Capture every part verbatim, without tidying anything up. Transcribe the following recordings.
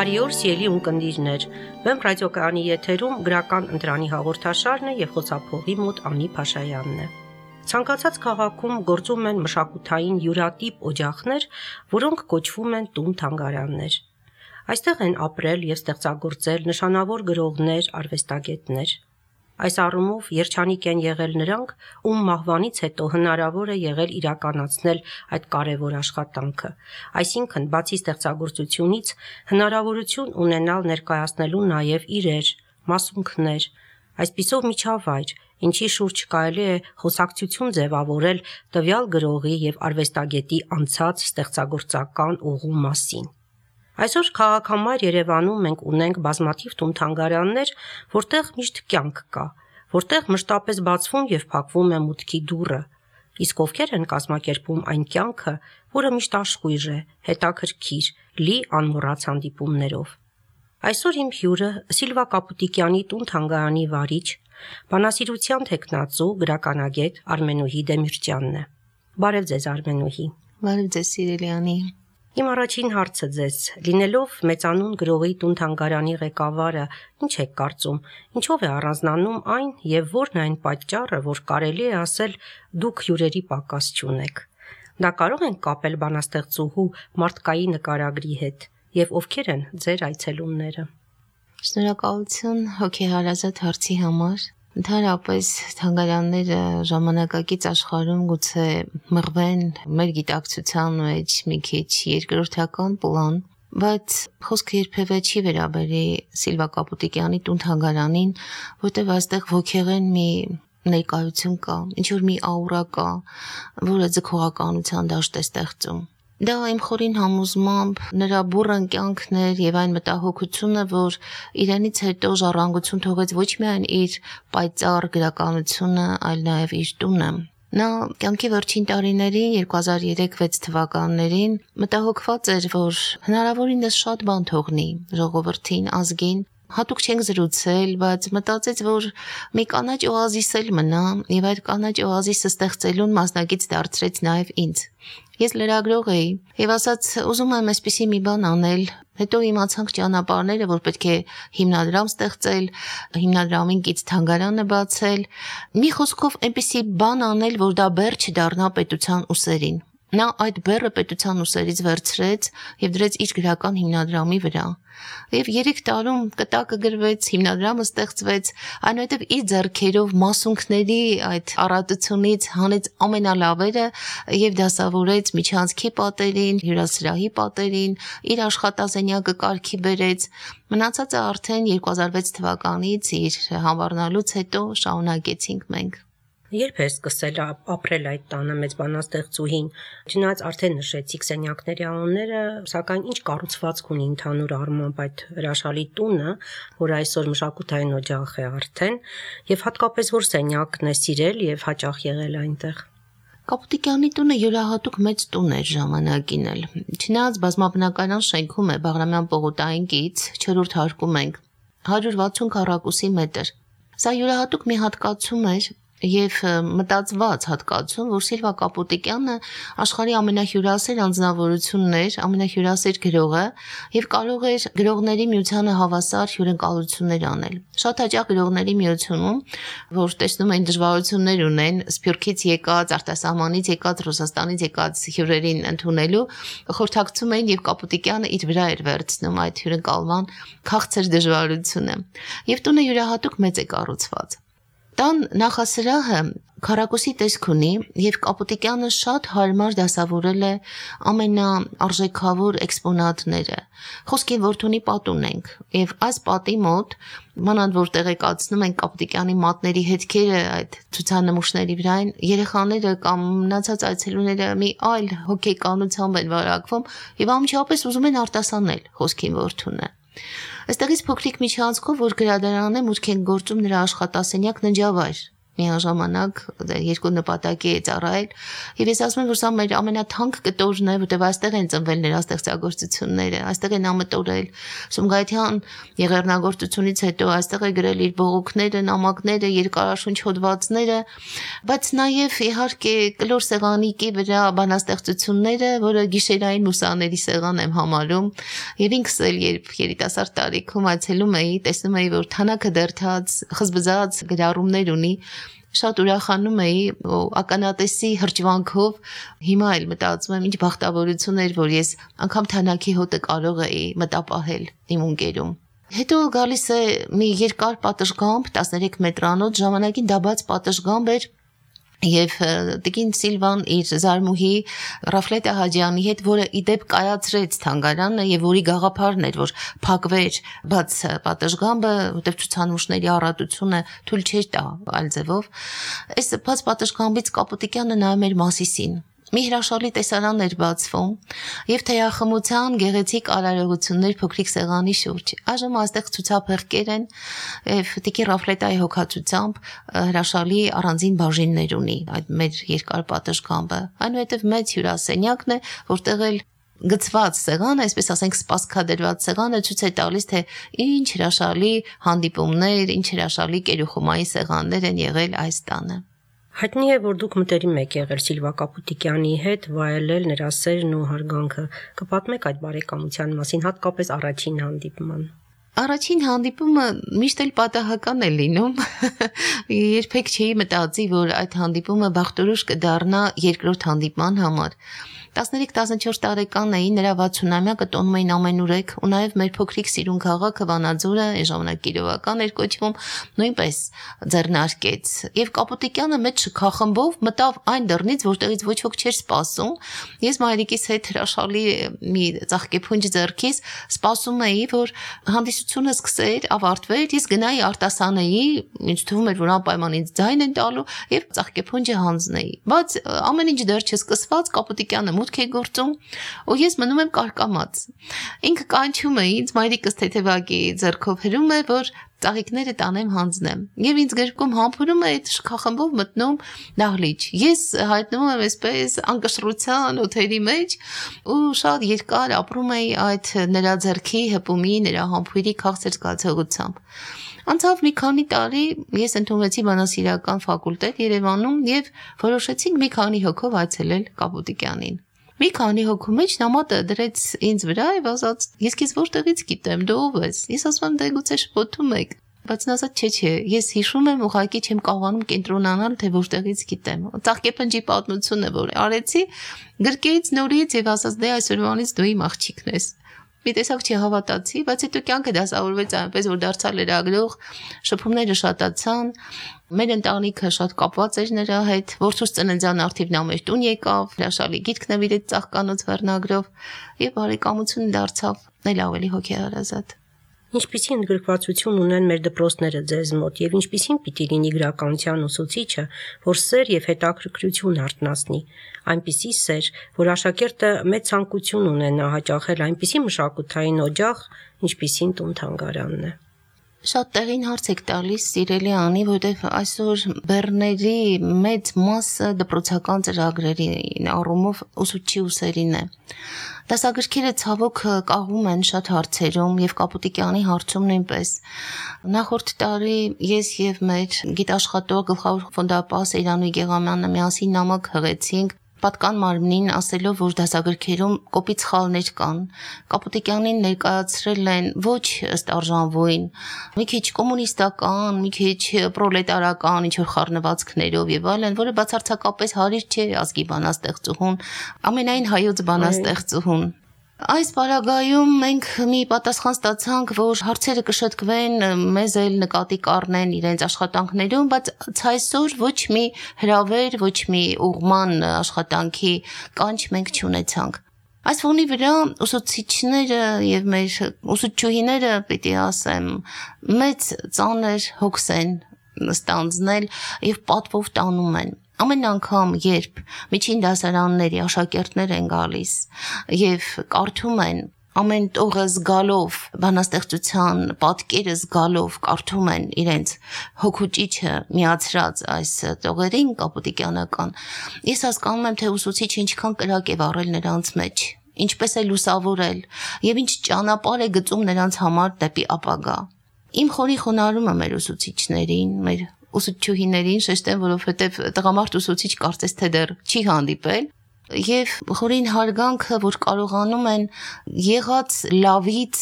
Բարի օր, սիրելի ունկնդիրներ։ Վեմ ռադիոկայանի եթերում գրական ընտրանի հաղորդաշարն է եւ խոսափողի մոտ Անի Փաշայանն է։ Ցանկացած քաղաքում գործում են մշակութային յուրատիպ օջախներ, որոնք կոչվում են տուն-թանգարաններ։ Այստեղ են ապրել եւ ստեղծագործել նշանավոր գրողներ, արվեստագետներ։ Այս առումով երջանիկ են եղել նրանք, ում մահվանից հետո հնարավոր է եղել իրականացնել այդ կարևոր աշխատանքը, այսինքն բացի ստեղծագործությունից հնարավորություն ունենալ ներկայացնելու նաև իրեր, մասունքներ, այսպիսով միջավայր, ինչի շուրջ կարելի է խոսակցություն ձևավորել տվյալ գրողի եւ արվեստագետի անցած ստեղծագործական ուղու մասին։ Այսօր քաղաքամայր Երևանում մենք ունենք բազմաթիվ տուն-թանգարաններ, որտեղ միշտ կյանք կա, որտեղ մշտապես բացվում եւ փակվում է մուտքի դուռը, իսկ ովքեր են կազմակերպում այն կյանքը, որը միշտ աշխույժ է, հետաքրքիր, լի անմոռաց հանդիպումներով։ Այսօր իմ հյուրը Սիլվա Կապուտիկյանի տուն-թանգարանի վարիչ, բանասիրության թեկնածու, գրականագետ Արմենուհի Դեմիրճյանն է։ Բարև ձեզ, Արմենուհի։ Բարև ձեզ, սիրելի Անի։ Իմ առաջին հարցը ձեզ, լինելով մեծանուն գրողի տուն-թանգարանի ղեկավարը, ինչ եք կարծում, ինչով է առանձնանում այն եւ որն է այն պատճառը, որ կարելի է ասել դուք հյուրերի պակաս չունեք։ Դա կարող են կապել բանաստեղծուհու մարդկային նկարագրի հետ եւ ովքեր են ձեր այցելումները։ Շնորհակալություն հոգեհարազատ հարցի համար։ Ընդհանրապես թանգարանները ժամանակակից աշխարհում գուցե մղվեն մեր գիտակցության մեջ մի քիչ երկրորդական պլան, բայց խոսքը երբևէ չի վերաբերի Սիլվա Կապուտիկյանի տուն-թանգարանին, որտեղ այստեղ ոգեղեն մի ներկայություն կա, ինչ որ մի աուրա կա, որը ձգողականության դաշտ է ստեղծում։ Դա իմ խորին համոզմամբ նրա բուռն կյանքն էր եւ այն մտահոգությունը, որ իրենից հետո ժառանգություն թողեց ոչ միայն իր պայծառ գրականությունը, այլ նաեւ իր տունը։ Նա կյանքի վերջին տարիներին երկու հազար երեք վեց թվականներին մտահոգված էր, որ հնարավորինս շատ բան թողնի ժողովրդին, ազգին։ Հատուկ չենք զրուցել, բայց մտածեց, որ մի կանաչ օազիս էլ մնա եւ այդ կանաչ օազիսը ստեղծելուն մասնակից դարձրեց նաեւ ինձ։ Ես լրագրող էի եւ ասաց ուզում եմ այսպեսի մի բան անել, հետո իմացանք ճանապարհները, որ պետք է հիմնադրամ ստեղծել, հիմնադրամին կից թանգարանը բացել, մի խոսքով այնպեսի բան անել, որ դա բեռ չդառնա պետության ուսերին։ Նա այդ բեռը պետության ուսերից վերցրեց եւ դրեց իր գրական հիմնադրամի վրա։ Եվ երեք տարում կտակը գրվեց, հիմնադրամը ստեղծվեց, այնուհետև իր ձեռքերով մասունքների այդ առատությունից հանեց ամենալավերը եւ դասավորեց միջանցքի պատերին, հյուրասրահի պատերին, իր աշխատասենյակը կարգի բերեց։ Մնացածը արդեն երկու հազար վեց թվականից իր համառնալուց հետո շարունակեցինք մենք։ Երբ է սկսել ապրել այդ տանը մեծ բանաստեղծուհին, չնայած արդեն նշեցիք սենյակների անունները, սակայն ինչ կառուցվածք ունի ընդհանուր առմամբ այդ հրաշալի տունը, որ այսօր մշակութային օջախ է արդեն, եւ հատկապես որ սենյակն է սիրել եւ հաճախ եղել այնտեղ։ Կապուտիկյանի տունը յուրահատուկ մեծ տուն էր ժամանակին էլ։ Չնայած բազմաբնակարան շենքում է Բաղրամյան պողոտային կից, չորրորդ հարկում ենք, հարյուր վաթսուն քառակուսի մետր։ Սա յուրահատուկ մի հատկացում էր եւ մտածված հատկացում, որ Սիլվա Կապուտիկյանը աշխարհի ամենահյուրասեր անձնավորությունն էր, ամենահյուրասեր գրողը եւ կարող էր գրողների միությանը հավասար հյուրընկալություններ անել։ Շատ հաճախ գրողների միությունում, որ տեսնում են դժվարություններ ունեն Սփյուռքից եկած, արտասահմանից եկած, Ռուսաստանից եկած հյուրերին ընդունելու, խորհրդակցում էին եւ Կապուտիկյանը իր վրա էր վերցնում այդ հյուրընկալման քաղցր դժվարությունը։ Եւ տունը յուրահատուկ մեծ է կառուցված։ Տան նախասրահը քառակուսի տեսք ունի եւ Կապուտիկյանը շատ հարմար դասավորել է ամենաարժեքավոր էքսպոնատները։ Խոսքին որդունի պատ ունենք եւ այս պատի մոտ մանավանդ որ տեղեկացնում են Կապուտիկյանի մատների հետքերը այդ ցուցանմուշների վրային, երեխաները կամ մնացած այցելուները մի այլ հոգեկանությամբ են վարակվում եւ ամիջապես ուզում են արտասանել խոսքին որդունը։ Այստեղից փոքրիկ միջանցքով, որ գրադարանը մուտք են գործում նրա աշխատասենյակ ննջավայր, միաժամանակ երկու նպատակի է ծառայել եւ ես ասում եմ որ սա մեր ամենաթանկ կտորն է որտեղ այստեղ են ծնվել նրա ստեղծագործությունները այստեղ են ամտորել Սումգայիթյան եղեռնագործությունից հետո այստեղ է գրել իր բողոքները նամակները երկարաշունչ հոդվածները բայց նաեւ իհարկե կլոր սեղանիկի վրա բանաստեղծությունները որը գիշերային մուսաների սեղան եմ համարում եւ ինքս էլ երբ երիտասարդ տարիքում այցելում էի տեսնում էի որ թանակը դերթած խզբզած գրառումներ ունի շատ ուրախանում էի ականատեսի հրճվանքով հիմա էլ մտածում եմ ինչ բախտավորություն էր որ ես անգամ թանակի հոտը կարող էի մտապահել իմ ունկերում հետո գալիս է մի երկար պատշգամբ տասներեք մետրանոց ժամանակին դա բաց պատշգամբ էր Եվ Տիկին Սիլվան իր զարմուհի Ռաֆլետա Հաջյանի հետ, որը իդեպ կայացրեց թանգարանը եւ որի գաղափարն էր, որ փակվեր բաց պատշգամբը, որտեղ ցուցանմուշների առատությունը թույլ չէր տա այլ ձևով, այս բաց պատշգամբից Կապուտիկյանը նայում էր Մասիսին Մի հրաշալի տեսարան էր բացվում եւ թեյախմության գեղեցիկ արարողություններ փոքրիկ սեղանի շուրջ։ Այժմ այստեղ ցուցափեղկեր են եւ Տիկի Ռաֆլետայի հոգացությամբ հրաշալի առանձին բաժիններ ունի այդ մեր երկար պատշգամբը։ Այնուհետեւ մեծ հյուրասենյակն է, որտեղ էլ գծված սեղանը, այսպես ասենք սպասքադրված սեղանը ցույց է տալիս թե ինչ հրաշալի հանդիպումներ, ինչ հրաշալի կերուխումայի սեղաններ են եղել այս տանը։ Հայտնի է, որ դուք մտերիմ եք եղել Սիլվա Կապուտիկյանի հետ, վայելել նրա սերն ու հարգանքը։ Կպատմեք այդ բարեկամության մասին, հատկապես առաջին հանդիպման։ Առաջին հանդիպումը միշտ էլ պատահական է լինում։ Երբեք չէի մտածի, որ այդ հանդիպումը բախտորոշ կդառնա երկրորդ հանդիպման համար։ տասներեք տասնչորս տարեկան էի, նրա վաթսունամյակը տոնում էին ամենուրեք, ու նաև մեր փոքրիկ սիրուն քաղաքը Վանաձորը, այն ժամանակ Կիրովական էր կոչվում, նույնպես ձեռնարկեց։ Եվ Կապուտիկյանը մեծ շքախմբով մտավ այն դռնից, որտեղից ոչ ոք չէր սպասում։ Ես մայրիկիս հետ հրաշալի մի ծաղկեփունջ ձեռքից սպասում էի, որ հանդիսությունը սկսեր, ավարտվեր, ես գնայի արտասանեի, ինձ թվում էր, որ անպայման ինձ ձայն են տալու, եւ ծաղկեփունջը հանձնեի։ Բայց ամեն ինչ դեռ չսկսված Կապուտիկյանը մուտք է գործում, ու ես մնում եմ կարկամած։ Ինքը կանչում է ինձ, մայրիկս թեթևակի ձեռքով հրում է, որ ծաղիկները տանեմ հանձնեմ։ Եվ ինձ գրկում համբուրում է այդ շքախմբով մտնում դահլիճ։ Ես հայտնվում եմ այսպես անկշռության օթերի մեջ ու շատ երկար ապրում էի այդ նրա ձեռքի հպումի, նրա համբույրի քաղցր զգացողությամբ։ Անցավ մի քանի տարի, ես ընդունվեցի բանասիրական ֆակուլտետ Երևանում եւ որոշեցինք մի քանի հոգով այցելել Կապուտիկյանին։ Մի քանի հոգու մեջ նա մատը դրեց ինձ վրա եւ ասաց. «Ես քեզ որտեղից գիտեմ, դու ով ես»։ Ես ասում եմ՝ «Դե գուցե շփոթում եք»։ Բայց նա ասաց՝ «Չէ, չէ, ես հիշում եմ, ուղղակի չեմ կարողանում կենտրոնանալ, թե որտեղից գիտեմ»։ Ծաղկեփնջի պատմությունը, որ արեցի, գրկեից նորից եւ ասաց՝ «Դե այսօրվանից դու իմ աղջիկն ես»։ Մի տեսակ չհավատացի, բայց հետո կյանքը դասավորվեց այնպես, որ դարձա լրագրող, շփումները շատացան, մեր ընտանիքը շատ կապված էր նրա հետ, որդուս ծննդյան արդիվ նա մեր տուն եկավ, հրաշալի գիրք նվիրեց ծաղկանոց վերնագրով եւ բարեկամությունը դարձավ էլ ավելի հոգեհարազատ։ Ինչպիսի ընդգրկվածություն ունեն մեր դպրոցները ձեզ մոտ եւ ինչպիսին պիտի լինի գրականության ուսուցիչը, որ սեր եւ հետաքրքրություն արտնասնի, այնպիսի սեր, որ աշակերտը մեծ ցանկություն ունենա հաճախել այնպիսի մշակութային օջախ, ինչպիսին տուն-թանգարանն է։ Շատ տեղին հարց եք տալիս, սիրելի Անի, որտեղ այսօր բեռների մեծ մասը դպրոցական ծրագրերի առումով ուսուցչի ուսերին է։ Դասագրքերը ցավոք կաղում են շատ հարցերում եւ Կապուտիկյանի հարցում նույնպես։ Նախորդ տարի ես եւ մեր գիտաշխատող գլխավոր ֆոնդապահ Սեյրանուհի Գեղամյանը միասին նամակ հղեցինք պատկան մարմնին ասելով, որ դասագրքերում կոպիտ սխալներ կան։ Կապուտիկյանին ներկայացրել են ոչ ըստ արժանվույն, մի քիչ կոմունիստական, մի քիչ պրոլետարական ինչ-որ խառնվածքներով եւ այլն, որը բացարձակապես հարիր չէ ազգի բանաստեղծուհուն, ամենայն հայոց բանաստեղծուհուն։ Այս պարագայում մենք մի պատասխան ստացանք, որ հարցերը կշտկվեն, մեզ էլ նկատի կառնեն իրենց աշխատանքներում, բայց ցայսօր ոչ մի հրավեր, ոչ մի ուղղման աշխատանքի կանչ մենք չունեցանք։ Այս ֆոնի վրա ուսուցիչները եւ մեր ուսուցչուհիները, պիտի ասեմ, մեծ ծանր հոգս են ստանձնել եւ պատվով տանում են։ Ամեն անգամ, երբ միջին դասարանների աշակերտներ են գալիս եւ կարդում են ամեն տողը զգալով, բանաստեղծության պատկերը զգալով կարդում են իրենց հոգուճիչը միացրած այս տողերին կապուտիկյանական, ես հասկանում եմ, թե ուսուցիչը ինչքան կրակ է վառել նրանց մեջ, ինչպես է լուսավորել եւ ինչ ճանապարհ է գծում նրանց համար դեպի ապագա։ Իմ խորի խոնարհումը մեր ուսուցիչներին, մեր ուսուցչուհիներին շեշտեմ, որովհետեւ տղամարդ ուսուցիչ կարծես թե դեռ չի հանդիպել, եւ խորին հարգանքը, որ կարողանում են եղած լավից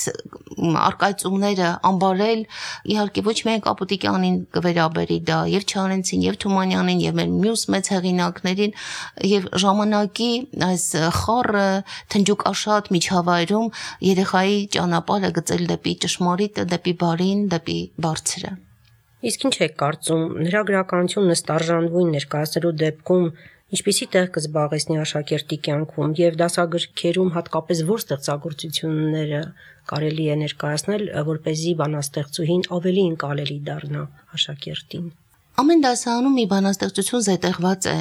արկայծումները ամբարել, իհարկե ոչ միայն Կապուտիկյանին կվերաբերի դա, եւ Չարենցին, եւ Թումանյանին, եւ մեր մյուս մեծ հեղինակներին, եւ ժամանակի այս խառը թնջուկաշատ միջավայրում երեխայի ճանապարհը գծել դեպի ճշմարիտը, դեպի բարին, դեպի բարձրը։ Իսկ ինչ եք կարծում, նրա գրականությունը ստարժանվույն ներկայացնելու դեպքում ինչպիսի տեղ կզբաղեցնի աշակերտի կյանքում եւ դասագրքերում հատկապես որ ստեղծագործությունները կարելի է ներկայացնել, որպեսզի բանաստեղծուհին ավելի ընկալելի դառնա աշակերտին։ Ամեն դասարանում մի բանաստեղծություն զետեղված է։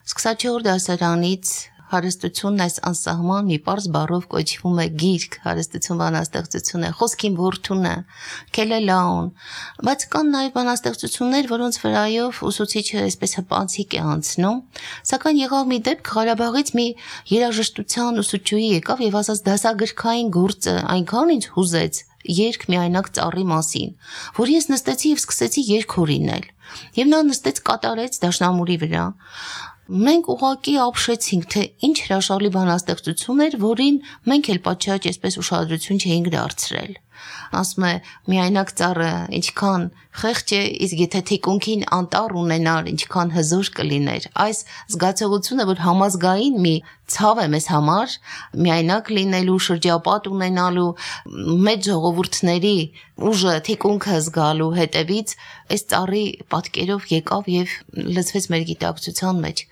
Սկսած դասարանից հարստությունն այս անսահման մի պարզ բառով կոչվում է գիրք, հարստություն բանաստեղծություն է, խոսքին որդուն է, քելելաուն, բայց կան նաև բանաստեղծություններ, որոնց վրայով ուսուցիչը այսպես հպանցիկ է անցնում, սակայն եղավ մի դեպք, Ղարաբաղից մի երաժշտության ուսուցչուհի եկավ եւ ասաց դասագրքային գործը այնքան ինձ հուզեց երգ միայնակ ծառի մասին, որ ես նստեցի եւ սկսեցի երգ հորինել, եւ նա նստեց կատարեց դաշնամուրի վրա։ Մենք ուղղակի ապշեցինք, թե ինչ հրաշալի բանաստեղծություն էր, որին մենք էլ պատշաճ այսպես ուշադրություն չէինք դարձրել։ Ասում է միայնակ ծառը ինչքան խեղճ է, իսկ եթե թիկունքին անտառ ունենար, ինչքան հզոր կլիներ։ Այս զգացողությունը, որ համազգային մի ցավ է մեզ համար, միայնակ լինելու, շրջապատ ունենալու, մեծ ժողովուրդների ուժը թիկունքը զգալու հետևից այս ծառի պատկերով եկավ եւ լցվեց մեր գիտակցության մեջ։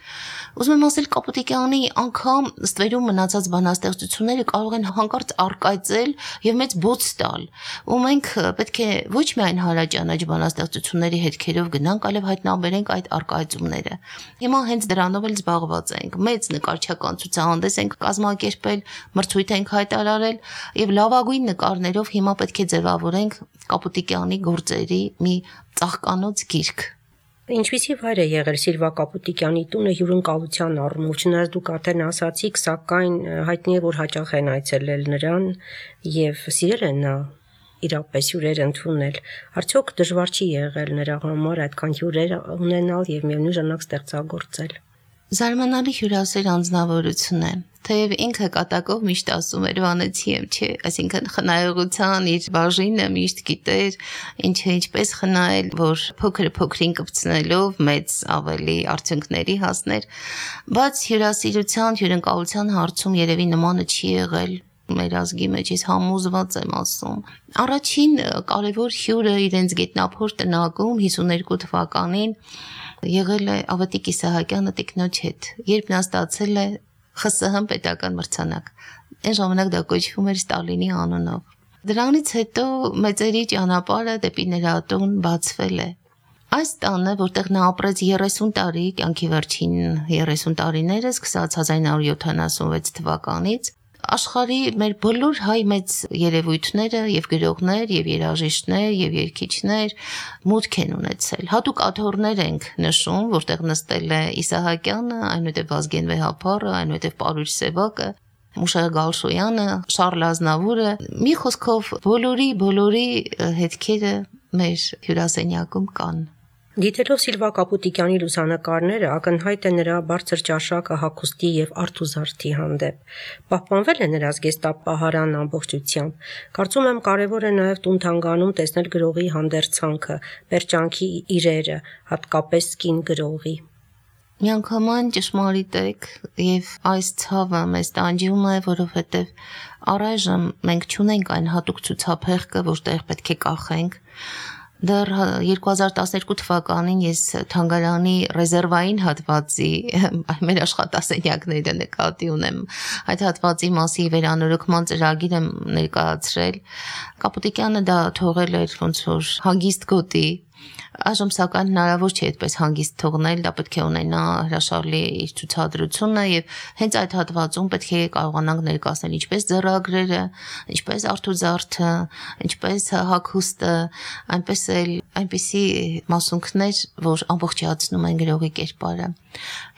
Ուզում եմ ասել Կապուտիկյանի անգամ ստվերում մնացած բանաստեղծությունները կարող են հանկարծ արկայծել եւ մեծ բոց տալ, ու մենք պետք է ոչ միայն հարաճանաչ բանաստեղծությունների հետքերով գնանք, այլև հայտնաբերենք այդ արկայծումները։ Հիմա հենց դրանով էլ զբաղված ենք, մեծ նկարչական ցուցահանդես ենք կազմակերպել, մրցույթ ենք հայտարարել եւ լավագույն նկարներով հիմա պետք է ձևավորենք Կապուտիկյանի գործերի մի ծաղկանոց գիրք։ Ինչպիսի վայր է եղել Սիլվա Կապուտիկյանի տունը հյուրընկալության առումով, չնայած դուք արդեն ասացիք, սակայն հայտնի է, որ հաճախ են այցելել նրան եւ սիրել են նա իրապես հյուրեր ընդունել։ Արդյոք դժվար չի եղել նրա համար այդքան հյուրեր ունենալ եւ միևնույն ժամանակ ստեղծագործել։ Զարմանալի հյուրասեր անձնավորություն է, թեև ինքը կատակով միշտ ասում էր վանեցի եմ, չէ, այսինքն խնայողության իր բաժինը միշտ գիտեր, ինչը ինչպես խնայել, որ փոքր փոքրին կպցնելով մեծ ավելի արդյունքների հասներ, բայց հյուրասիրության, հյուրընկալության հարցում երևի նմանը չի եղել մեր ազգի մեջ, ես համոզված եմ ասում։ Առաջին կարևոր հյուրը իրենց գետնափոր տնակում հիսուներկու թվականին եղել է Ավետիք Իսահակյանը տիկնոջ հետ, երբ նա ստացել է Խ Ս Հ պետական մրցանակ։ Այն ժամանակ դա կոչվում էր Ստալինի անունով։ Դրանից հետո մեծերի ճանապարհը դեպի նրա տուն բացվել է։ Այս տանը, որտեղ նա ապրեց երեսուն տարի, կյանքի վերջին երեսուն տարիները, սկսած հազար նոր յոթանասունվեց թվականից, աշխարհի մեր բոլոր հայ մեծ երևույթները եւ գրողներ եւ երաժիշտներ եւ երգիչներ մուտք են ունեցել։ Հատուկ աթոռներ ենք նշում, որտեղ նստել է Իսահակյանը, այնուհետև Վազգեն Վեհափառը, այնուհետև Պարույր Սևակը, Մուշեղ Գալշոյանը, Շարլ Ազնավուրը, մի խոսքով բոլորի բոլորի հետքերը մեր հյուրասենյակում կան։ Դիտելով Սիլվա Կապուտիկյանի լուսանկարները ակնհայտ է նրա բարձր ճաշակը հագուստի եւ արթուզարդի հանդեպ։ Պահպանվել է նրա զգեստապահարանն ամբողջությամբ։ Կարծում եմ կարևոր է նաեւ տուն-թանգանում տեսնել գրողի հանդերձանքը, պերճանքի իրերը, հատկապես կին գրողի։ Միանգամայն ճշմարիտ եք եւ այս ցավը մեզ տանջում է, որովհետեւ առայժմ մենք չունենք այն հատուկ ցուցափեղկը, որտեղ պետք է կախենք։ Դեռ երկու հազար տասներկու թվականին ես թանգարանի ռեզերվային հատվածի մեր աշխատասենյակները նկատի ունեմ, այդ հատվածի մասի վերանորոգման ծրագիր եմ ներկայացրել։ Կապուտիկյանը դա թողել էր ոնց որ հագիստ գոտի Այժմ սակայն հնարավոր չէ այդպես հանգիստ թողնել, դա պետք է ունենա հրաշալի իր ցուցադրությունը եւ հենց այդ հատվածում պետք է կարողանանք ներկայացնել ինչպես ձեռագրերը, ինչպես արթուզարդը, ինչպես հագուստը, այնպես էլ այնպիսի մասունքներ, որ ամբողջացնում են գրողի կերպարը։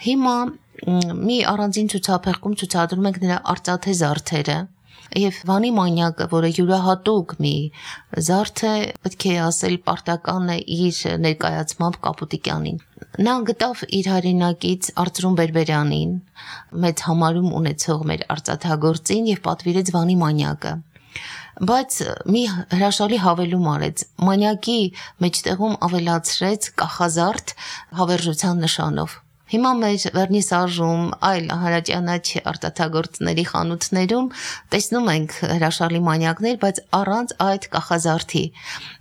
Հիմա մի առանձին ցուցափեղկում ցուցադրում ենք նրա արծաթե զարդերը Եվ Վանի մանյակը, որը յուրահատուկ մի զարդ է, պետք է ասել պարտական է իր ներկայացմամբ Կապուտիկյանին։ Նա գտավ իր հայրենակից Արծրուն Բերբերյանին, մեծ համարում ունեցող մեր արծաթագործին եւ պատվիրեց Վանի մանյակը։ Բայց մի հրաշալի հավելում արեց, մանյակի մեջտեղում ավելացրեց կախազարդ հավերժության նշանով։ Հիմա մեր վերնիսաժում, այլ հարաճանաչ արտաթագործների խանութներում տեսնում ենք հրաշալի մանյակներ, բայց առանց այդ կախազարդի։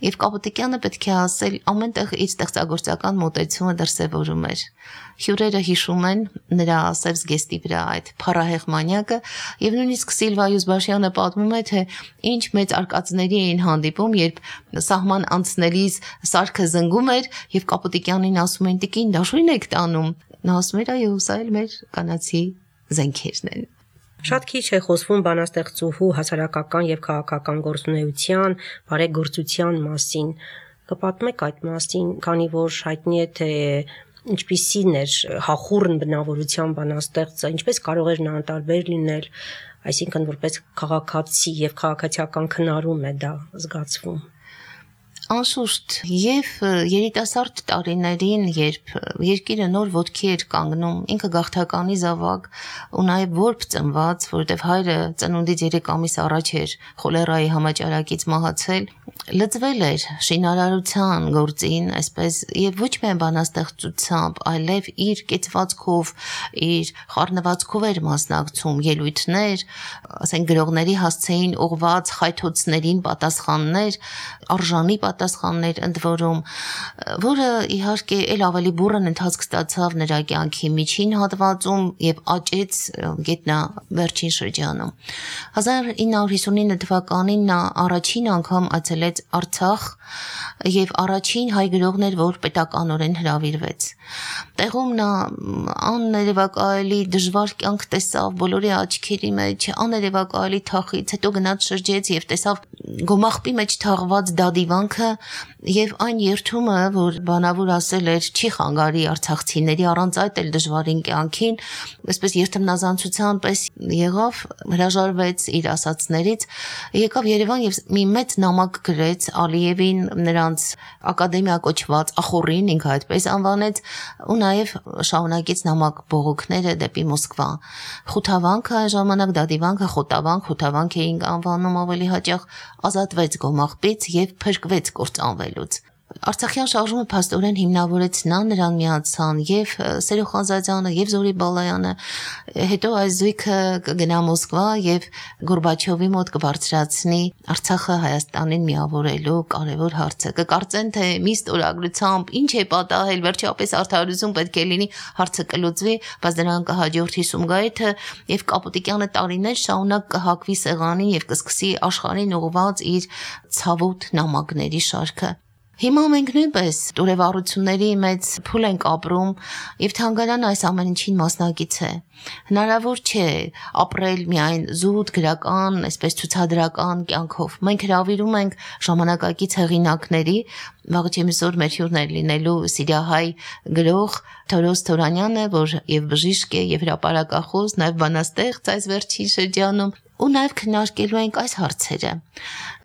Եվ Կապուտիկյանը պետք է ասել, ամենտեղ իր ստեղծագործական մոտեցումը դրսևորում էր։ Հյուրերը հիշում են նրա սև զգեստի վրա այդ փառահեղ մանյակը, եւ նույնիսկ Սիլվա Յուզբաշյանը պատմում է, թե ինչ մեծ արկածների էին հանդիպում, երբ սահման անցնելիս սարքը զնգում էր եւ Կապուտիկյանին ասում են՝ «Տիկին, դաշույն եք տանում»։ Նա ասում էր՝ «Այո, սա էլ մեր կանացի զենքերն են»։ Շատ քիչ է խոսվում բանաստեղծուհու հասարակական եւ քաղաքական գործունեության, բարեգործության մասին։ Կպատմեք այդ մասին, քանի որ հայտնի է, թե ինչպիսին էր հախուռն բնավորության բանաստեղծը, ինչպես կարող էր նա անտարբեր լինել, այսինքն որպես քաղաքացի եւ քաղաքացիական քննարում է դա զգացվում։ Անշուշտ, եւ երիտասարդ տարիներին, երբ երկիրը նոր ոտքի էր կանգնում, ինքը գաղթականի զավակ ու նաեւ որբ ծնված, որովհետեւ հայրը ծնունդից երեք ամիս առաջ էր խոլերայի համաճարակից մահացել, լծվել էր շինարարության գործին, այսպես եւ ոչ միայն բանաստեղծությամբ, այլև իր կեցվածքով, իր խառնվածքով էր մասնակցում ելույթներ, ասենք գրողների հասցեին ուղված խայթոցներին պատասխաններ, արժանի պատասխաններ ընդ որում, որը իհարկե ել ավելի բուռն ընթացք ստացավ նրա կյանքի միջին հատվածում եւ աճեց գետնա վերջին շրջանում։ հազար ինը հարյուր հիսունինը թվականին նա առաջին անգամ այցելեց Արցախ եւ առաջին հայ գրողն էր, որ պետականորեն հրավիրվեց։ Տեղում նա աներևակայելի դժվար կյանք տեսավ բոլորի աչքերի մեջ, աներևակայելի թախից, հետո գնաց շրջեց եւ տեսավ գոմաղբի մեջ թաղված դադիվանքը եւ այն երթումը, որ բանավոր ասել էր, չի խանգարի արցախցիների առանց այդ էլ դժվարին կյանքին, այսպես երթմնազանցության պես եղավ, հրաժարվեց իր ասածներից, եկավ Երևան եւ մի մեծ նամակ գրեց Ալիևին, նրանց ակադեմիա կոչված ախորին, ինքը այդպես անվանեց, ու նաեւ շարունակեց նամակ բողոքները դեպի Մոսկվա։ Խութավանքը այն ժամանակ դադիվանքը խոտավանք, խութավանք էին անվանում ավելի հաճախ, ազատվեց գոմաղբից եւ փրկվեց կործանվելուց։ Արցախյան շարժումը փաստորեն հիմնավորեց նա, նրան միացան եւ Սերո Խանզադյանը եւ Զորի Բալայանը, հետո այս զույգը կգնա Մոսկվա եւ Գորբաչովի մոտ կբարձրացնի Արցախը Հայաստանին միավորելու կարևոր հարցը։ Կկարծեն, թե մի ստորագրությամբ ինչ է պատահել, վերջապես արդարություն պետք է լինի, հարցը կլուծվի, բայց դրան կհաջորդի Սումգայիթը եւ Կապուտիկյանը տարիներ շարունակ կհակվի սեղանին եւ կսկսի աշխարհին ուղղված իր ցավոտ նամակների շարքը։ Հիմա մենք նույնպես տուրևառությունների մեծ փուլ ենք ապրում եւ թանգարանը այս ամեն ինչին մասնակից է։ Հնարավոր չէ ապրել միայն զուտ գրական, այսպես ցուցադրական կյանքով։ Մենք հրավիրում ենք ժամանակակից հեղինակների, վաղ չեմիսօր մեր հյուրն է լինելու սիրիահայ գրող Թորոս Թորանյանը, որ եւ բժիշկ է, եւ հրապարակախոս, նաեւ բանաստեղծ այս վերջին շրջանում, ու նաեւ քննարկելու ենք այս հարցերը։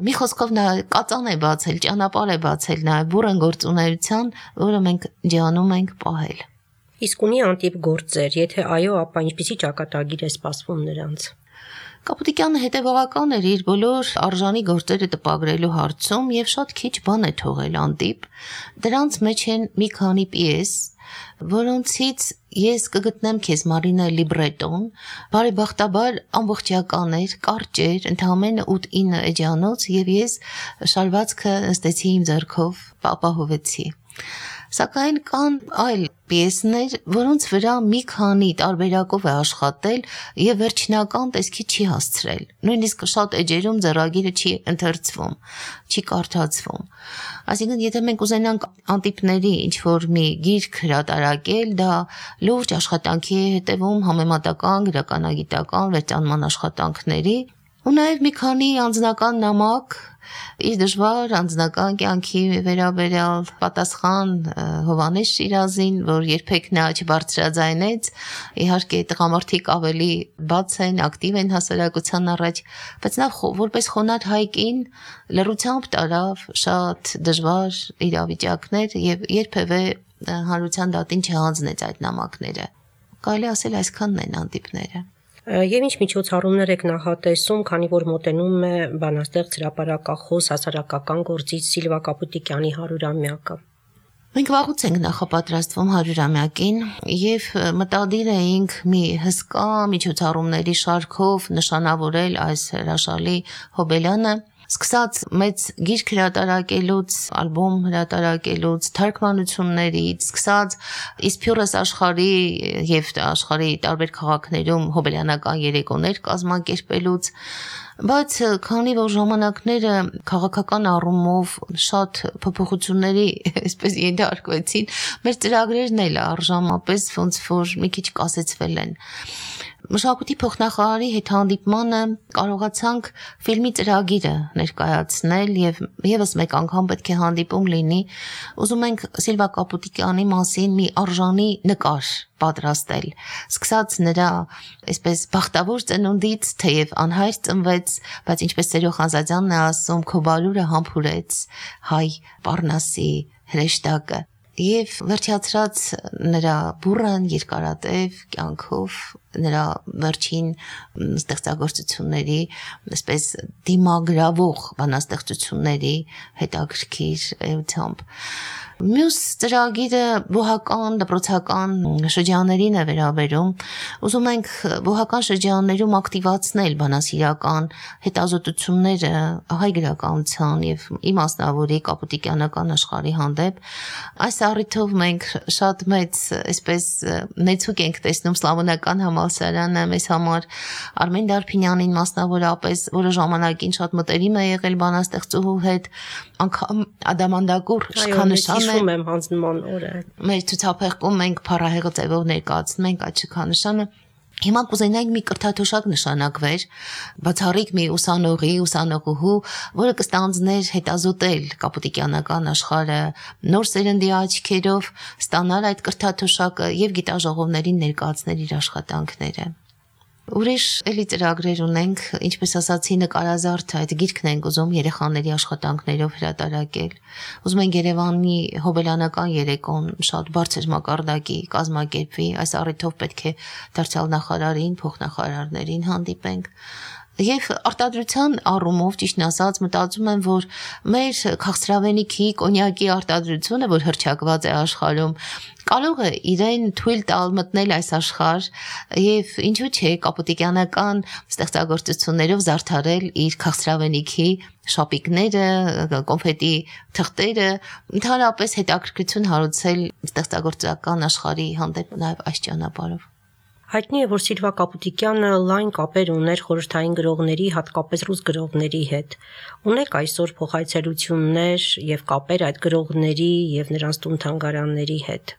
Մի խոսքով նա կածան է բացել, ճանապարհ է բացել նաեւ բուռն գործունեության, որը մենք ջանում ենք պահել։ Իսկ ունի անտիպ գործեր, եթե այո, ապա ինչպիսի ճակատագիր է սպասվում նրանց։ Կապուտիկյանը հետևողական էր իր բոլոր արժանի գործերը տպագրելու հարցում եւ շատ քիչ բան է թողել անտիպ։ Դրանց մեջ են մի քանի պիես, որոնցից ես կգտնեմ քեզ Մարինա լիբրետոն, բարեբախտաբար ամբողջական էր, կարճ էր, ընդամենը ութ-ինը էջանոց եւ ես շարվածքը նստեցի իմ ձեռքով, ապահովեցի։ Սակայն կան այլ պիեսներ, որոնց վրա մի քանի տարբերակով է աշխատել եւ վերջնական տեսքի չի հասցրել։ Նույնիսկ շատ էջերում ձեռագիրը չի ընթերցվում, չի կարդացվում։ Այսինքն, եթե մենք ուզենանք անտիպների ինչ-որ մի գիրք հրատարակել, դա լուրջ աշխատանքի է հետևում համեմատական, գրականագիտական, վերջանման աշխատանքների, ու նաեւ մի քանի անձնական նամակ իր դժվար անձնական կյանքի վերաբերյալ պատասխան Հովհաննես Շիրազին, որ երբեք նա չբարձրաձայնեց, իհարկե տղամարդիկ ավելի բաց են, ակտիվ են հասարակության առաջ, բայց նա որպես խոնարհ հայկին լռությամբ տարավ շատ դժվար իրավիճակներ եւ երբևէ հանրության դատին չհանձնեց այդ նամակները։ Կարելի ասել այսքանն են անտիպները։ Եվ ինչ միջոցառումներ եք նախատեսում, քանի որ մոտենում է բանաստեղծ հրապարակախոս հասարակական գործիչ Սիլվա Կապուտիկյանի հարյուրամյակը։ Մենք վաղուց ենք նախապատրաստվում հարյուրամյակին եւ մտադիր էինք մի հսկա միջոցառումների շարքով նշանավորել այս հրաշալի հոբելյանը, սկսած մեծ գիրք հրատարակելուց, ալբոմ հրատարակելուց, թարգմանություններից, սկսած Իսփյուռես աշխարհի եւ աշխարհի տարբեր քաղաքներում հոբելյանական երեկոներ կազմակերպելուց, բայց քանի որ ժամանակները քաղաքական առումով շատ փոփոխությունների այսպես ենթարկվեցին, մեր ծրագրերն էլ արժանապես ոնց որ մի քիչ կասեցվել են։ Մշակույթի փոխնախարարի հետ հանդիպմանը կարողացանք ֆիլմի ծրագիրը ներկայացնել եւ եւս մեկ անգամ պետք է հանդիպում լինի։ Ուզում ենք Սիլվա Կապուտիկյանի մասին մի արժանի նկար պատրաստել, սկսած նրա այսպես բախտավոր ծնունդից, թեև անհայր ծնվեց, բայց ինչպես Սերո Խանզադյանն է ասում, քո բարուրը համբուրեց հայ Պառնասի հրեշտակը։ Եվ վերջացրած նրա բուրըն երկարատև կյանքով, նրա վերջին ստեղծագործությունների, այսպես դիմագրավող բանաստեղծությունների հետաքրքիր էությամբ։ Մյուս ծրագիրը բուհական, դպրոցական շրջաններին է վերաբերում։ Ուզում ենք բուհական շրջաններում ակտիվացնել բանասիրական հետազոտությունները հայ գրականության եւ իմ մասնավորի կապուտիկյանական աշխարհի հանդեպ։ Այս առիթով մենք շատ մեծ, այսպես նեցուկ ենք տեսնում Սլավոնական համալսարանը մեզ համար, Արմեն Դարփինյանին մասնավորապես, որը ժամանակին շատ մտերիմ է եղել բանաստեղծուհու հետ, անգամ Ադամանդակուր շքանշան Հիշում եմ հանձնման օրը։ Մեր ցուցափեղկում մենք փառահեղը ձևով ներկայացնում ենք այդ շքանշանը։ Հիմա կուզենայինք մի կրթաթոշակ նշանակվեր, բացառիկ մի ուսանողի, ուսանողուհու, որը կստանձներ հետազոտել կապուտիկյանական աշխարհը նոր սերնդի աչքերով, ստանալ այդ կրթաթոշակը եւ գիտաժողովներին ներկայացնել իր աշխատանքները։ Ուրիշ էլի ծրագրեր ունենք, ինչպես ասացի, նկարազարդ այդ գիրքն ենք ուզում երեխաների աշխատանքներով հրատարակել։ Ուզում ենք Երևանի հոբելյանական երեկոն շատ բարձր մակարդակի կազմակերպվի, այս առիթով պետք է դարձյալ նախարարին, փոխնախարարներին հանդիպենք։ Եվ արտադրության առումով, ճիշտն ասած, մտածում եմ, որ մեր քաղցրավենիքի, կոնյակի արտադրությունը, որ հռչակված է աշխարհում, կարող է իրեն թույլ տալ մտնել այս աշխարհ եւ ինչու՞ չէ կապուտիկյանական ստեղծագործություններով զարդարել իր քաղցրավենիքի շապիկները, կոնֆետի թղթերը, ընդհանրապես հետաքրքրություն հարուցել ստեղծագործական աշխարհի հանդեպ նաեւ այս ճանապարհով։ Հայտնի է, որ Սիլվա Կապուտիկյանը լայն կապեր ուներ խորհրդային գրողների, հատկապես ռուս գրողների հետ։ Ունեք այսօր փոխայցելություններ եւ կապեր այդ գրողների եւ նրանց տուն-թանգարանների հետ։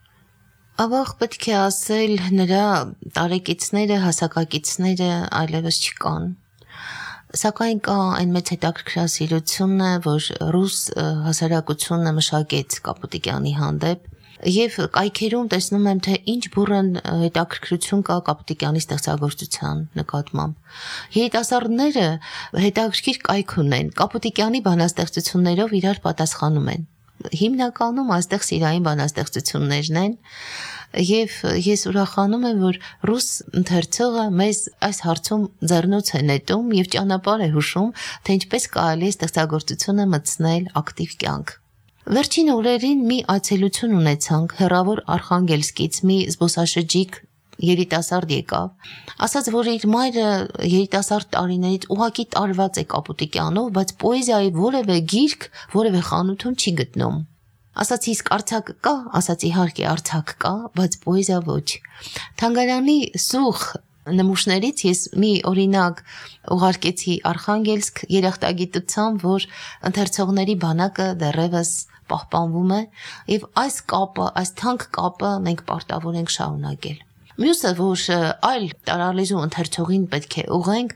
Ավաղ պետք է ասել, նրա տարեկիցները, հասակակիցները այլևս չկան։ Սակայն կա այն մեծ հետաքրքրասիրությունը, որ ռուս հասարակությունը մշակեց Կապուտիկյանի հանդեպ։ Եվ կայքերում տեսնում եմ, թե ինչ բուրըն հետաքրքրություն կա Կապուտիկյանի ստեղծագործության նկատմամբ։ Երիտասարդները հետաքրքիր կայք ունեն, Կապուտիկյանի բանաստեղծություններով իրար պատասխանում են։ Հիմնականում այստեղ սիրային բանաստեղծություններն են, եւ ես ուրախանում եմ, որ ռուս ընթերցողը մեզ այս հարցում ձեռնոց է նետում եւ ճանապարհ է հուշում, թե ինչպես կարելի է ստեղծագործությունը մտցնել ակտիվ կյանք։ Վերջին օրերին մի այցելություն ունեցանք հեռավոր Արխանգելսկից մի զբոսաշրջիկ երիտասարդ եկավ, ասաց, որ իր մայրը երիտասարդ տարիներից ուղակի տարված է Կապուտիկյանով, բայց պոեզիայի որևէ գիրք, որևէ խանութում չի գտնում։ Ասացի իսկ արձակ կա, ասացի իհարկե արձակ կա, բայց պոեզիա ոչ։ Թանգարանի սուղ նմուշներից ես մի օրինակ ուղարկեցի Արխանգելսկ երախտագիտությամբ, որ ընթերցողների բանակը դեռևս պահպանվում է եւ այս կապը, այս թանկ կապը մենք պարտավոր ենք շարունակել։ Մյուսը, որ այլ տարալեզու ընթերցողին պետք է ուղենք,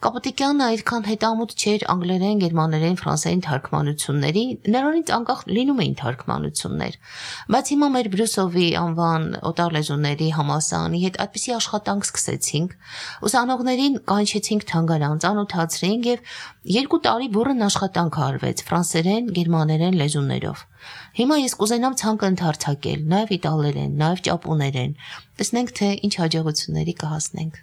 Կապուտիկյանը այդքան հետամուտ չէր անգլերեն, գերմաներեն, ֆրանսերեն թարգմանությունների, նրանից անկախ լինում էին թարգմանություններ։ Բայց հիմա մեր Բրյուսովի անվան օտարլեզուների համալսարանի հետ այդպիսի աշխատանք սկսեցինք, ուսանողներին կանչեցինք թանգարան, ծանոթացրինք եւ երկու տարի բուռն աշխատանք արվեց ֆրանսերեն, գերմաներեն լեզուներով։ Հիմա ես կուզենամ ցանկը ընդարձակել, նաև իտալերեն, նաև ճապոներեն։ Տեսնենք, թե ինչ հաջողությունների կհասնենք։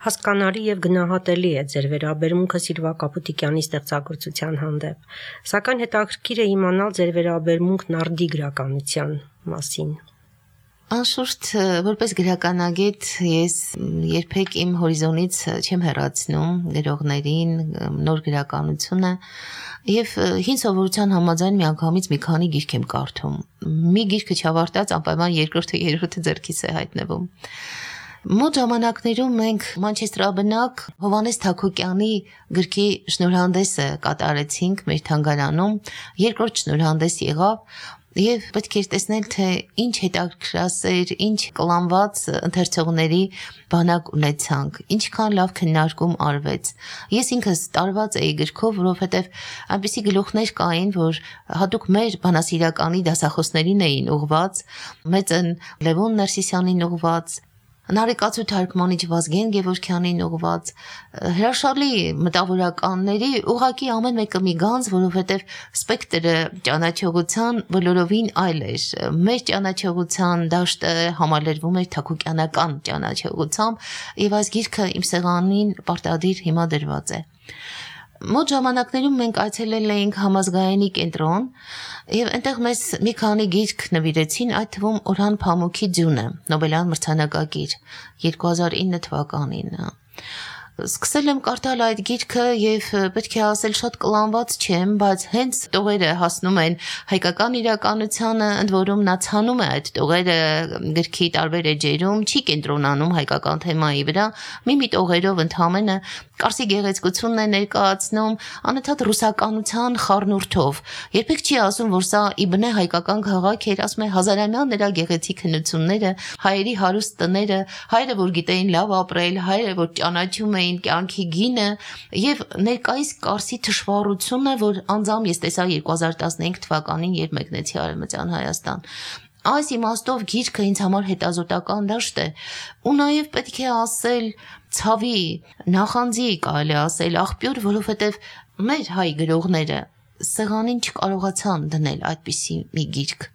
Հասկանալի եւ գնահատելի է ձեր վերաբերմունքը Սիլվա Կապուտիկյանի ստեղծագործության հանդեպ, սակայն հետաքրքիր է իմանալ ձեր վերաբերմունքն արդի գրականության մասին։ Անշուշտ, որպես գրականագետ ես երբեք իմ հորիզոնից չեմ հեռացնում գրողներին, նոր գրականությունը եւ հին սովորության համաձայն միանգամից մի քանի գիրք եմ կարդում։ Մի գիրքը չավարտած անպայման երկրորդը, երրորդը ձեռքից է հայտնվում։ Մոտ ժամանակներում մենք Մանչեստրաբնակ Հովհաննես Թակոկյանի գրքի շնորհանդեսը կատարեցինք մեր թանգարանում, երկրորդ շնորհանդես եղավ Եվ պետք է տեսնել, թե ինչ հետաքրքրասեր, ինչ կլանված ընթերցողների բանակ ունեցանք, ինչքան լավ քննարկում արվեց։ Ես ինքս տարված էի գրքով, որովհետև այնպիսի գլուխներ կային, որ հատուկ մեր բանասիրականի դասախոսներին էին ուղված, մեծն Լևոն Ներսիսյանին ուղված, Նարեկացու թարգմանիչ Վազգեն Գևորգյանին ուղված, հրաշալի մտավորականների ուղղակի ամեն մեկը մի գանձ, որովհետև սպեկտրը ճանաչողության բոլորովին այլ էր։ Մեր ճանաչողության դաշտը համալրվում էր թակոկյանական ճանաչողությամբ, եւ այս գիրքը իմ սեղանին պարտադիր հիմա դրված է։ Մոտ ժամանակներում մենք այցելել էինք համազգայինի կենտրոն եւ այնտեղ մեզ մի քանի գիրք նվիրեցին, այդ թվում Օրհան Փամոքի Ձյունը, Նոբելյան մրցանակակիր երկու հազար ինը թվականին։ Սկսել եմ կարդալ այդ գիրքը եւ պետք է ասել շատ կլանված չեմ, բայց հենց տողերը հասնում են հայկական իրականությանը, ընդ որում նա ցանում է այդ տողերը գրքի տարբեր էջերում, չի կենտրոնանում հայկական թեմայի վրա, մի-մի տողերով ընդհանրապես Կարսի գեղեցկությունն է ներկայացնում անընդհատ ռուսականության խառնուրդով։ Երբեք չի ասում, որ սա իբնե հայկական քաղաք էր, ասում է հազարամյա նրա գեղեցիկ հնությունները, հայերի հարուստ տները, հայերը, որ գիտեին լավ ապրել, հայերը, որ ճանաչում էին կյանքի գինը, եւ ներկայիս Կարսի թշվառությունը, որ անձամ ես տեսա երկու հազար տասնհինգ թվականին, երբ մեկնեցի Արևմտյան Հայաստան։ Այս իմաստով գիրքը ինձ համար հետազոտական դաշտ է, ու նաև պետք է ասել ցավի, նախանձի կարելի ասել աղբյուր, որովհետև մեր հայ գրողները սեղանին չկարողացան դնել այդպիսի մի գիրք։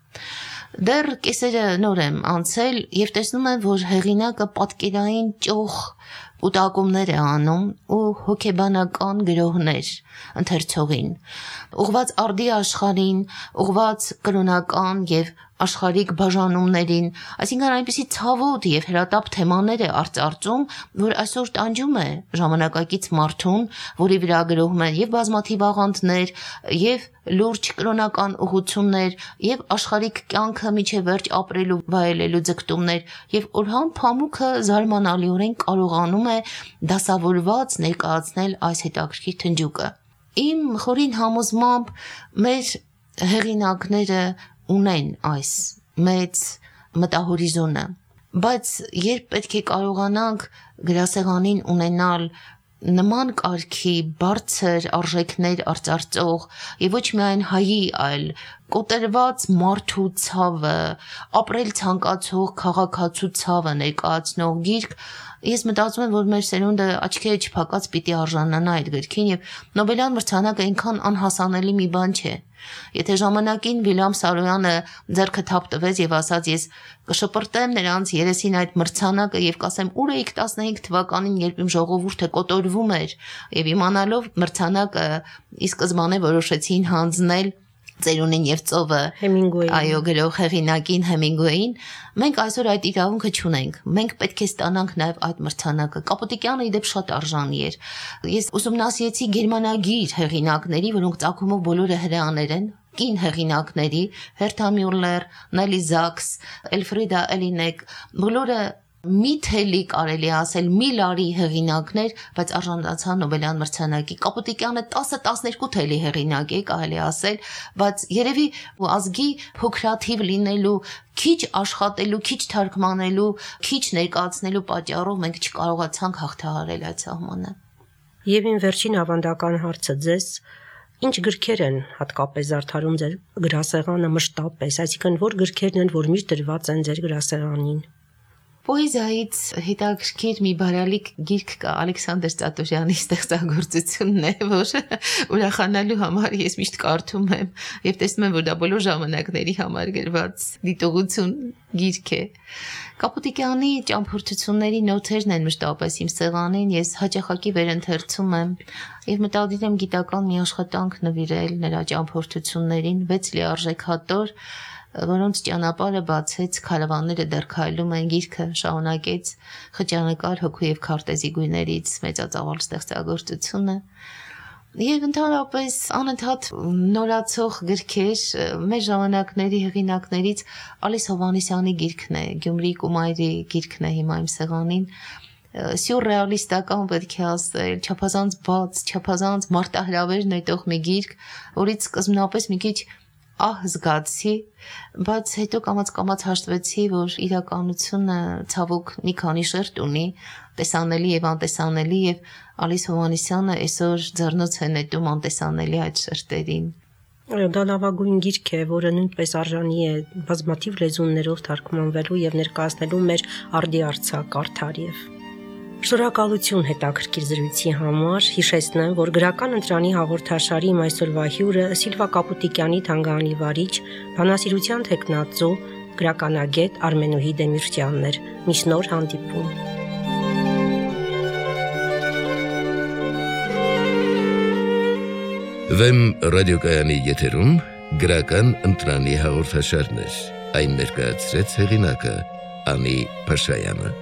Դեռ կեսերը նոր եմ անցել եւ տեսնում եմ, որ հեղինակը պատկերային ճոխ կուտակումներ է անում ու հոգեբանական գրողներ ընթերցողին, ուղված արդի աշխարհին, ուղված կրոնական եւ աշխարհիկ բաժանումներին, այսինքն այնպիսի ցավոտ եւ հրատապ թեմաներ է արծարծում, որ այսօր տանջում է ժամանակակից մարդուն, որի վրա գրողում են եւ բազմաթիվ աղանդներ, եւ լուրջ կրոնական ուղղություններ, եւ աշխարհիկ կյանքը միջև վերջ ապրելու վայելելու ձգտումներ, եւ Օրհան Փամոքը զարմանալիորեն կարողանում է դասավորված ներկայացնել այս հետաքրքիր թնջուկը։ Իմ խորին համոզմամբ մեր հեղինակները ունեն այս մեծ մտահորիզոնը, բայց երբ պետք է կարողանանք գրասեղանին ունենալ նման կարգի բարձր արժեքներ արծարծող եւ ոչ միայն հայի, այլ կոտրված մարդու ցավը, ապրել ցանկացող քաղաքացու ցավը ներկայացնող գիրք, ես մտածում եմ, որ մեր սերունդը աչքերը չփակած պիտի արժանանա այդ գրքին եւ Նոբելյան մրցանակը այնքան անհասանելի մի բան չէ։ Եթե ժամանակին Վիլյամ Սարոյանը ձեռքը թափ տվեց եւ ասաց ես կշպրտեմ նրանց երեսին այդ մրցանակը եւ կասեմ ուր էիք տասնհինգ թվականին, երբ իմ ժողովուրդը կոտորվում էր եւ իմանալով մրցանակը ի սկզբանե որոշեցին հանձնել Ծերունին եւ ծովը Հեմինգուեյին, այո, գրող հեղինակին Հեմինգուեյին, մենք այսօր այդ իրավունքը չունենք։ Մենք պետք է ստանանք նաեւ այդ մրցանակը։ Կապուտիկյանը իդեպ շատ արժանի էր։ Ես ուսումնասիրեցի գերմանագիր հեղինակների, որոնք ծագումով բոլորը հրեաներ են, կին հեղինակների, Հերթա Մյուլլեր, Նելի Զաքս, Էլֆրիդա Էլինեկ, բոլորը մի թելի կարելի ասել մի լարի հեղինակներ, բայց արժանացան Նոբելյան մրցանակի։ Կապուտիկյանը տասը տասներկու թելի հեղինակ է, կարելի ասել, բայց երևի ազգի փոքրաթիվ լինելու, քիչ աշխատելու, քիչ թարգմանելու, քիչ ներկայացնելու պատճառով մենք չկարողացանք հաղթահարել այդ սահմանը։ Եվ իմ վերջին ավանդական հարցը ձեզ, ինչ գրքեր են հատկապես զարդարում ձեր գրասեղանը մշտապես, այսինքն որ գրքերն են, որ միշտ դրված են ձեր գրասեղանին։ Պոեզիայից հետաքրքիր մի բարալիկ գիրք կա, Ալեքսանդր Ծատուրյանի ստեղծագործությունն է, որ ուրախանալու համար ես միշտ կարդում եմ եւ տեսնում եմ, որ դա բոլոր ժամանակների համար գրված դիտողություն գիրք է։ Կապուտիկյանի ճամփորդությունների նոթերն են մշտապես իմ սեղանին, ես հաճախակի վերընթերցում եմ եւ մտադիր եմ գիտական մի աշխատանք նվիրել նրա ճամփորդություններին, վեց լիարժեք հատոր, որոնց ճանապարհը բացեց քարավանները դեռ քայլում են գիրքը շարունակեց խճանկար հոգու եւ քարտեզի գույներից մեծածավալ ստեղծագործությունը եւ ընդհանրապես անընդհատ նորացող գրքեր մեր ժամանակների հեղինակներից Ալիս Հովհաննիսյանի գիրքն է Գյումրի Կումայրի գիրքն է հիմա իմ սեղանին սյուրռեալիստական պետք է ասել չափազանց բաց չափազանց մարտահրավեր նետող մի գիրք որից սկզբնապես մի քիչ ահ զգացի, բայց հետո կամաց-կամաց հաշտվեցի, որ իրականությունը ցավոք մի քանի շերտ ունի, տեսանելի եւ անտեսանելի եւ Ալիս Հովհաննիսյանը այսօր ձեռնոց է նետում անտեսանելի այդ շերտերին։ Դա լավագույն գիրք է, որը նույնպես արժանի է բազմաթիվ լեզուներով թարգմանվելու եւ ներկայացնելու մեր արդի արձակ արդարև։ Շնորհակալություն հետաքրքիր զրույցի համար, հիշեցնեմ, որ գրական ընտրանի հաղորդաշարի իմ այսօրվա հյուրը Սիլվա Կապուտիկյանի թանգարանի վարիչ, բանասիրության թեկնածու, գրականագետ Արմենուհի Դեմիրճյանն էր։ Միշտ նոր հանդիպում։ Վեմ ռադիոկայանի եթերում գրական ընտրանի հաղորդաշարներ, այն ներկայացրեց հեղինակը Անի Փաշայանը։